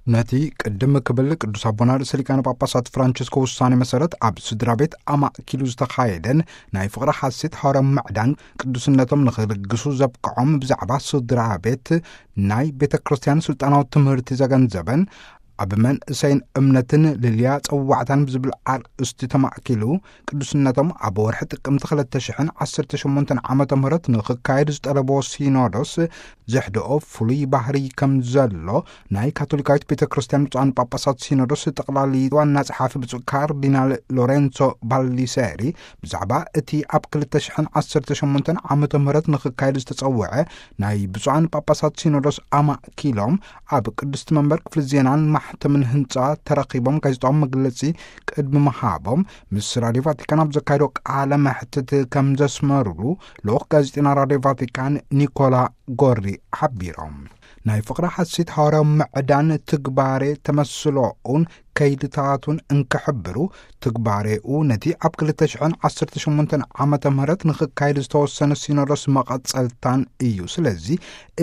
ነቲ ቅድም ክብል ቅዱስ ኣቦና ርእሰ ሊቃነ ጳጳሳት ፍራንቸስኮ ውሳኔ መሰረት፣ ኣብ ስድራ ቤት ኣማእኪሉ ዝተኻየደን ናይ ፍቕሪ ሓሴት ሐዋርያዊ ምዕዳን ቅዱስነቶም ንኽልግሱ ዘብቅዖም ብዛዕባ ስድራ ቤት ናይ ቤተ ክርስቲያን ስልጣናዊ ትምህርቲ ዘገንዘበን ኣብ መንእሰይን እምነትን ልልያ ጸዋዕታን ብዝብል ኣርእስቲ ተማእኪሉ፣ ቅዱስነቶም ኣብ ወርሒ ጥቅምቲ ክልተ ሽሕን ዓሰርተ ሸሞንተን ዓመተ ምህረት ንኽካየድ ዝጠለቦ ሲኖዶስ ዘሕድኦ ፍሉይ ባህሪ ከም ዘሎ ናይ ካቶሊካዊት ቤተ ክርስቲያን ብፁዓን ጳጳሳት ሲኖዶስ ጠቕላሊ ዋና ጸሓፊ ብፁዕ ካርዲናል ሎሬንሶ ባሊሴሪ ብዛዕባ እቲ ኣብ ክልተ ሽሕን ዓሰርተ ሸሞንተን ዓመተ ምህረት ንኽካየድ ዝተጸውዐ ናይ ብፁዓን ጳጳሳት ሲኖዶስ ኣማእኪሎም ኣብ ቅድስቲ መንበር ክፍሊ ዜናን ማሕተምን ህንጻ ተረኺቦም ጋዜጣዊ መግለጺ ቅድሚ ምሃቦም ምስ ራድዮ ቫቲካን ኣብ ዘካየዶ ቃለ መሕትት ከም ዘስመሩሉ ልኡኽ ጋዜጠና ራድዮ ቫቲካን ኒኮላ ጎሪ ሓቢሮም። ናይ ፍቕሪ ሓሴት ሐዋርያዊ ምዕዳን ትግባሬ ተመስሎኡን ከይድታቱን እንክሕብሩ፣ ትግባሬኡ ነቲ ኣብ ክልተ ሽሕን ዓሰርተ ሸሞንተን ዓመተ ምህረት ንኽካየድ ዝተወሰነ ሲኖዶስ መቐጸልታን እዩ። ስለዚ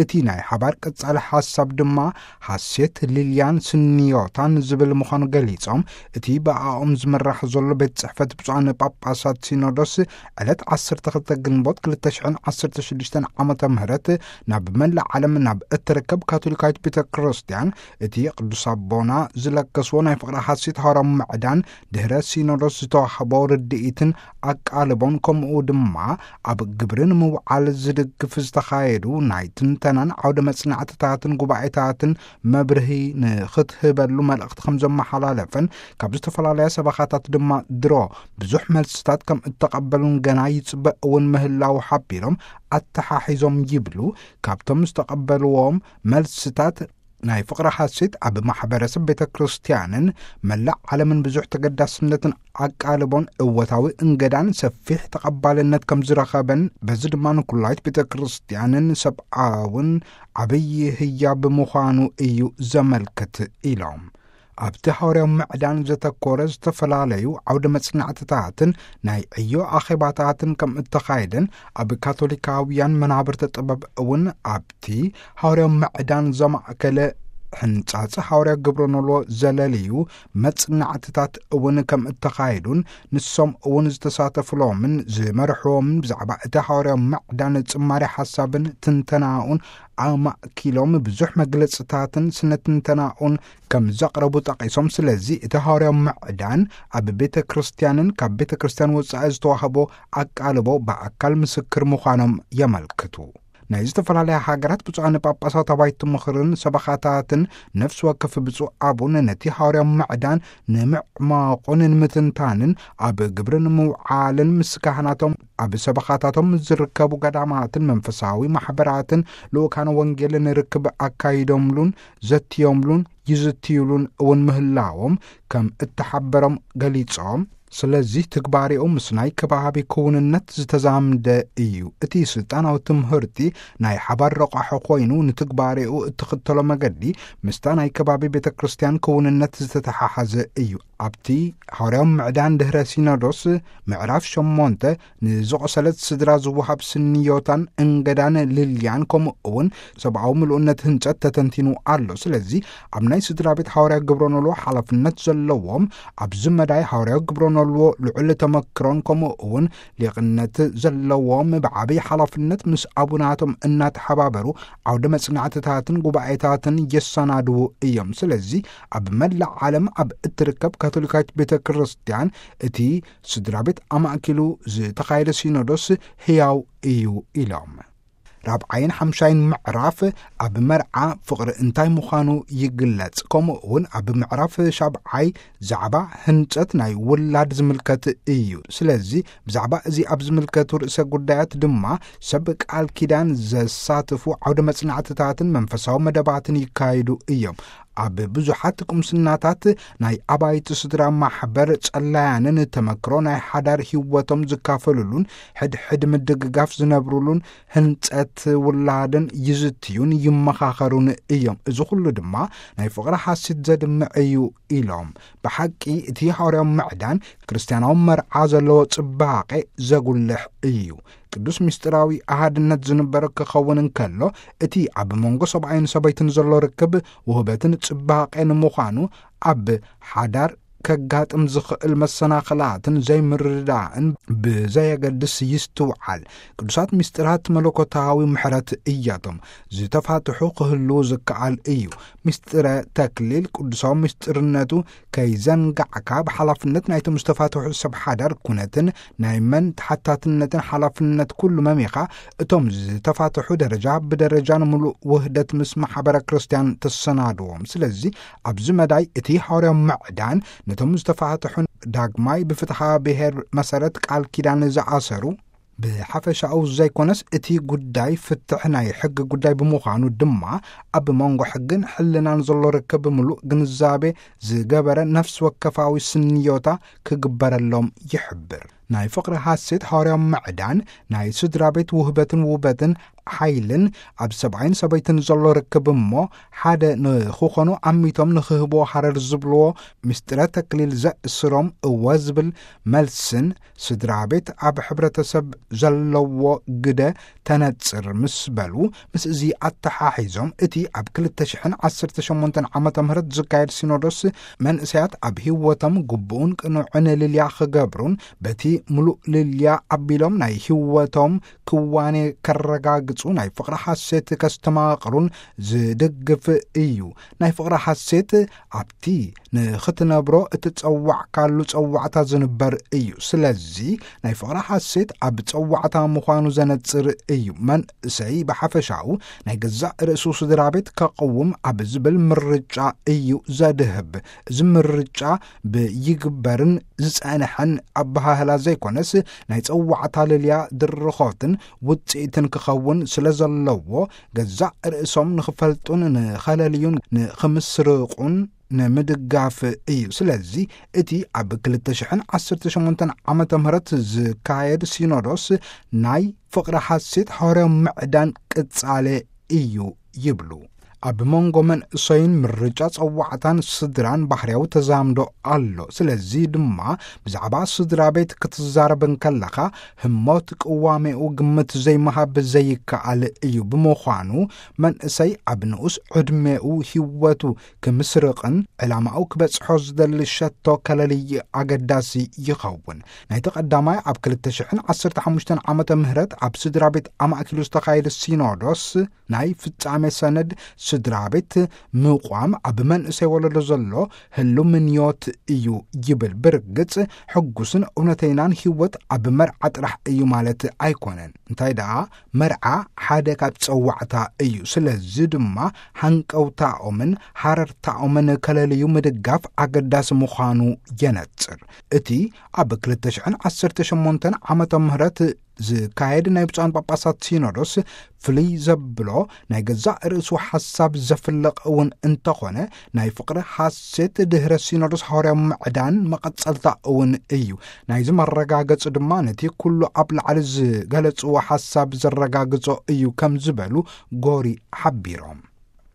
እቲ ናይ ሓባር ቀጻሊ ሓሳብ ድማ ሓሴት፣ ልልያን ስንዮታን ዝብል ምዃኑ ገሊጾም፣ እቲ ብኣኦም ዝምራሕ ዘሎ ቤት ጽሕፈት ብፁዓን ጳጳሳት ሲኖዶስ ዕለት ዓሰርተ ክልተ ግንቦት ክልተ ሽሕን ዓሰርተ ሽዱሽተን ዓመተ ምህረት ናብ መላእ ዓለም ናብ እትርከብ ካቶሊካዊት ቤተ ክርስቲያን እቲ ቅዱስ ኣቦና ዝለገስዎ ናይ ፍቕሪ ሓሴት ሐዋርያዊ ምዕዳን ድሕረ ሲኖዶስ ዝተዋህቦ ርድኢትን ኣቃልቦን፣ ከምኡ ድማ ኣብ ግብሪ ንምውዓል ዝድግፍ ዝተኻየዱ ናይ ትንተናን ዓውደ መጽናዕትታትን ጉባኤታትን መብርሂ ንኽትህበሉ መልእኽቲ ከም ዘመሓላለፈን፣ ካብ ዝተፈላለያ ሰበኻታት ድማ ድሮ ብዙሕ መልስታት ከም እተቐበሉን ገና ይጽበ እውን ምህላው ሓቢሮም ኣተሓሒዞም ይብሉ። ካብቶም ዝተቐበልዎም መልስታት ናይ ፍቕሪ ሓሴት ኣብ ማሕበረሰብ ቤተ ክርስቲያንን መላእ ዓለምን ብዙሕ ተገዳስነትን ኣቃልቦን እወታዊ እንገዳን ሰፊሕ ተቐባልነት ከም ዝረኸበን፣ በዚ ድማ ንኩላይት ቤተ ክርስቲያንን ሰብኣውን ዓብዪ ህያብ ምዃኑ እዩ ዘመልክት ኢሎም። ኣብቲ ሐዋርያዊ ምዕዳን ዘተኮረ ዝተፈላለዩ ዓውደ መጽናዕትታትን ናይ ዕዮ ኣኼባታትን ከም እተኻየደን፣ ኣብ ካቶሊካውያን መናብርተ ጥበብ እውን ኣብቲ ሐዋርያዊ ምዕዳን ዘማእከለ ሕንጻጽ ሐዋርያዊ ግብረ ኖልዎ ዘለልዩ መጽናዕትታት እውን ከም እተኻየዱን፣ ንሶም እውን ዝተሳተፉሎምን ዝመርሕዎምን ብዛዕባ እቲ ሐዋርያዊ ምዕዳን ጽማሬ ሓሳብን ትንተናኡን ኣማእኪሎም ብዙሕ መግለጽታትን ስነ ትንተናኡን ከም ዘቕረቡ ጠቒሶም፣ ስለዚ እቲ ሐዋርያዊ ምዕዳን ኣብ ቤተ ክርስቲያንን ካብ ቤተ ክርስቲያን ወጻኢ ዝተዋህቦ ኣቃልቦ ብኣካል ምስክር ምዃኖም የመልክቱ። ናይ ዝተፈላለያ ሃገራት ብፁዓን ጳጳሳት ኣባይቲ ምኽርን ሰበኻታትን ነፍሲ ወከፍ ብፁዕ ኣቡን ነቲ ሐዋርያዊ ምዕዳን ንምዕማቑን ንምትንታንን ኣብ ግብሪ ንምውዓልን ምስ ካህናቶም ኣብ ሰበኻታቶም ዝርከቡ ገዳማትን መንፈሳዊ ማሕበራትን ልኡካን ወንጌልን ርክብ ኣካይዶምሉን ዘትዮምሉን ይዝትዩሉን እውን ምህላዎም ከም እተሓበሮም ገሊጾም፣ ስለዚህ ትግባሬኡ ምስ ናይ ከባቢ ክውንነት ዝተዛምደ እዩ። እቲ ስልጣናዊ ትምህርቲ ናይ ሓባር ረቋሒ ኮይኑ፣ ንትግባሬኡ እትኽተሎ መገዲ ምስታ ናይ ከባቢ ቤተ ክርስቲያን ክውንነት ዝተተሓሓዘ እዩ። ኣብቲ ሐዋርያዊ ምዕዳን ድህረ ሲኖዶስ ምዕራፍ ሸሞንተ ንዝቖሰለት ስድራ ዝወሃብ ስንዮታን እንገዳን ልልያን፣ ከምኡ እውን ሰብኣዊ ምሉእነት ህንጸት ተተንቲኑ ኣሎ። ስለዚ ኣብ ናይ ስድራ ቤት ሐዋርያዊ ግብረ ኖልዎ ሓላፍነት ዘለዎም፣ ኣብዚ መዳይ ሐዋርያዊ ግብረ ኖልዎ ልዑል ተመክሮን ከምኡ እውን ሊቕነት ዘለዎም ብዓብይ ሓላፍነት ምስ ኣቡናቶም እናተሓባበሩ ዓውደ መጽናዕትታትን ጉባኤታትን የሰናድዉ እዮም። ስለዚ ኣብ መላእ ዓለም ኣብ እትርከብ ካቶሊካዊት ቤተ ክርስቲያን እቲ ስድራ ቤት ኣማእኪሉ ዝተኻየደ ሲኖዶስ ህያው እዩ ኢሎም። ራብዓይን ሓምሻይን ምዕራፍ ኣብ መርዓ ፍቕሪ እንታይ ምዃኑ ይግለጽ። ከምኡ እውን ኣብ ምዕራፍ ሻብዓይ ዛዕባ ህንጸት ናይ ውላድ ዝምልከት እዩ። ስለዚ ብዛዕባ እዚ ኣብ ዝምልከቱ ርእሰ ጉዳያት ድማ ሰብ ቃል ኪዳን ዘሳትፉ ዓውደ መጽናዕትታትን መንፈሳዊ መደባትን ይካየዱ እዮም። ኣብ ብዙሓት ቁምስናታት ናይ ኣባይቲ ስድራ ማሕበር ጸላያንን ተመክሮ ናይ ሓዳር ህይወቶም ዝካፈሉሉን ሕድሕድ ምድግጋፍ ዝነብሩሉን ህንጸት ውላድን ይዝትዩን ይመኻኸሩን እዮም። እዚ ኩሉ ድማ ናይ ፍቕሪ ሓሲት ዘድምዕ እዩ ኢሎም። ብሓቂ እቲ ሐዋርያዊ ምዕዳን ክርስትያናዊ መርዓ ዘለዎ ጽባቐ ዘጉልሕ እዩ። ቅዱስ ምስጢራዊ ኣሃድነት ዝንበሮ ክኸውን እንከሎ፣ እቲ ኣብ መንጎ ሰብኣይን ሰበይትን ዘሎ ርክብ ውህበትን ጽባቐን ምዃኑ ኣብ ሓዳር ከጋጥም ዝኽእል መሰናኽላትን ዘይምርድዳእን ብዘየገድስ ይስትውዓል። ቅዱሳት ምስጢራት መለኮታዊ ምሕረት እያቶም። ዝተፋትሑ ክህልዉ ዝከኣል እዩ። ምስጢረ ተክሊል ቅዱሳዊ ምስጢርነቱ ከይዘንጋዕካ፣ ብሓላፍነት ናይቶም ዝተፋትሑ ሰብ ሓዳር ኩነትን ናይ መን ተሓታትነትን ሓላፍነት ኩሉ መሚኻ፣ እቶም ዝተፋትሑ ደረጃ ብደረጃ ንምሉእ ውህደት ምስ ማሕበረ ክርስቲያን ተሰናድዎም። ስለዚ ኣብዚ መዳይ እቲ ሃዋርያዊ ምዕዳን ነቶም ዝተፋትሑ ዳግማይ ብፍትሓ ብሔር መሰረት ቃል ኪዳን ዝኣሰሩ ብሓፈሻኡ ዘይኮነስ፣ እቲ ጉዳይ ፍትሕ ናይ ሕጊ ጉዳይ ብምዃኑ ድማ፣ ኣብ መንጎ ሕግን ሕልናን ዘሎ ርክብ ብምሉእ ግንዛቤ ዝገበረ ነፍሲ ወከፋዊ ስንዮታ ክግበረሎም ይሕብር። ናይ ፍቕሪ ሃሴት ሃዋርያዊ ምዕዳን ናይ ስድራ ቤት ውህበትን ውበትን ሓይልን ኣብ ሰብኣይን ሰበይትን ዘሎ ርክብ እሞ፣ ሓደ ንኽኾኑ ኣሚቶም ንኽህብዎ ሃረር ዝብልዎ ምስጢረ ተክሊል ዘእስሮም እወ ዝብል መልስን ስድራ ቤት ኣብ ሕብረተሰብ ዘለዎ ግደ ተነጽር ምስ በሉ፣ ምስ እዚ ኣተሓሒዞም፣ እቲ ኣብ ክልተ ሽሕን ዓሰርተ ሸሞንተን ዓመተ ምህረት ዝካየድ ሲኖዶስ መንእሰያት ኣብ ህይወቶም ግቡእን ቅኑዕን ልልያ ክገብሩን በቲ ምሉእ ልልያ ኣቢሎም ናይ ህይወቶም ክዋኔ ከረጋግጹ ናይ ፍቕሪ ሓሴት ከስተማቕሩን ዝድግፍ እዩ። ናይ ፍቕሪ ሓሴት ኣብቲ ንኽትነብሮ እትጸዋዕካሉ ጸዋዕታ ዝንበር እዩ። ስለዚ ናይ ፍቕሪ ሓሴት ኣብ ጸዋዕታ ምዃኑ ዘነጽር እዩ። መንእሰይ ብሓፈሻኡ ናይ ገዛእ ርእሱ ስድራ ቤት ከቕውም ኣብ ዝብል ምርጫ እዩ ዘድህብ። እዚ ምርጫ ብይግበርን ዝጸንሐን ኣበሃህላ ዘይኮነስ፣ ናይ ጸዋዕታ ልልያ ድርኾትን ውጽኢትን ክኸውን ስለ ዘለዎ፣ ገዛእ ርእሶም ንኽፈልጡን ንኸለልዩን ንኽምስርቑን ንምድጋፍ እዩ። ስለዚ እቲ ኣብ ክልተ ሽሕን ዓሰርተ ሸሞንተን ዓመተ ምህረት ዝካየድ ሲኖዶስ ናይ ፍቕሪ ሓሴት ሃዋርያዊ ምዕዳን ቅጻለ እዩ ይብሉ። ኣብ መንጎ መንእሰይን ምርጫ ጸዋዕታን ስድራን ባህርያዊ ተዛምዶ ኣሎ። ስለዚ ድማ ብዛዕባ ስድራ ቤት ክትዛረብ እንከለኻ፣ ህሞት ቅዋሜኡ ግምት ዘይምሃብ ዘይከኣል እዩ። ብምዃኑ መንእሰይ ኣብ ንኡስ ዕድሜኡ ህይወቱ ክምስርቕን ዕላማኡ ክበጽሖ ዝደሊ ሸቶ ከለልይ ኣገዳሲ ይኸውን። ናይቲ ቀዳማይ ኣብ ክልተ ሽሕን ዓሰርተ ሓሙሽተን ዓመተ ምህረት ኣብ ስድራ ቤት ኣማእኪሉ ዝተኻየደ ሲኖዶስ ናይ ፍጻሜ ሰነድ ስድራ ቤት ምቋም ኣብ መንእሰይ ወለዶ ዘሎ ህሉ ምንዮት እዩ ይብል። ብርግጽ ሕጉስን እውነተይናን ህይወት ኣብ መርዓ ጥራሕ እዩ ማለት ኣይኮነን። እንታይ ደኣ መርዓ ሓደ ካብ ጸዋዕታ እዩ። ስለዚ ድማ ሃንቀውታኦምን ሃረርታኦምን ከለልዩ ምድጋፍ ኣገዳሲ ምዃኑ የነጽር። እቲ ኣብ ክልተ ሽሕን ዓሰርተ ሸሞንተን ዓመተ ምህረት ዝካየድ ናይ ብፁዓን ጳጳሳት ሲኖዶስ ፍልይ ዘብሎ ናይ ገዛእ ርእሱ ሓሳብ ዘፍለቕ እውን እንተኾነ፣ ናይ ፍቕሪ ሓሴት ድህረ ሲኖዶስ ሃዋርያዊ ምዕዳን መቐጸልታ እውን እዩ። ናይዚ መረጋገጺ ድማ ነቲ ኩሉ ኣብ ላዕሊ ዝገለጽዎ ሓሳብ ዘረጋግጾ እዩ ከም ዝበሉ ጎሪ ሓቢሮም።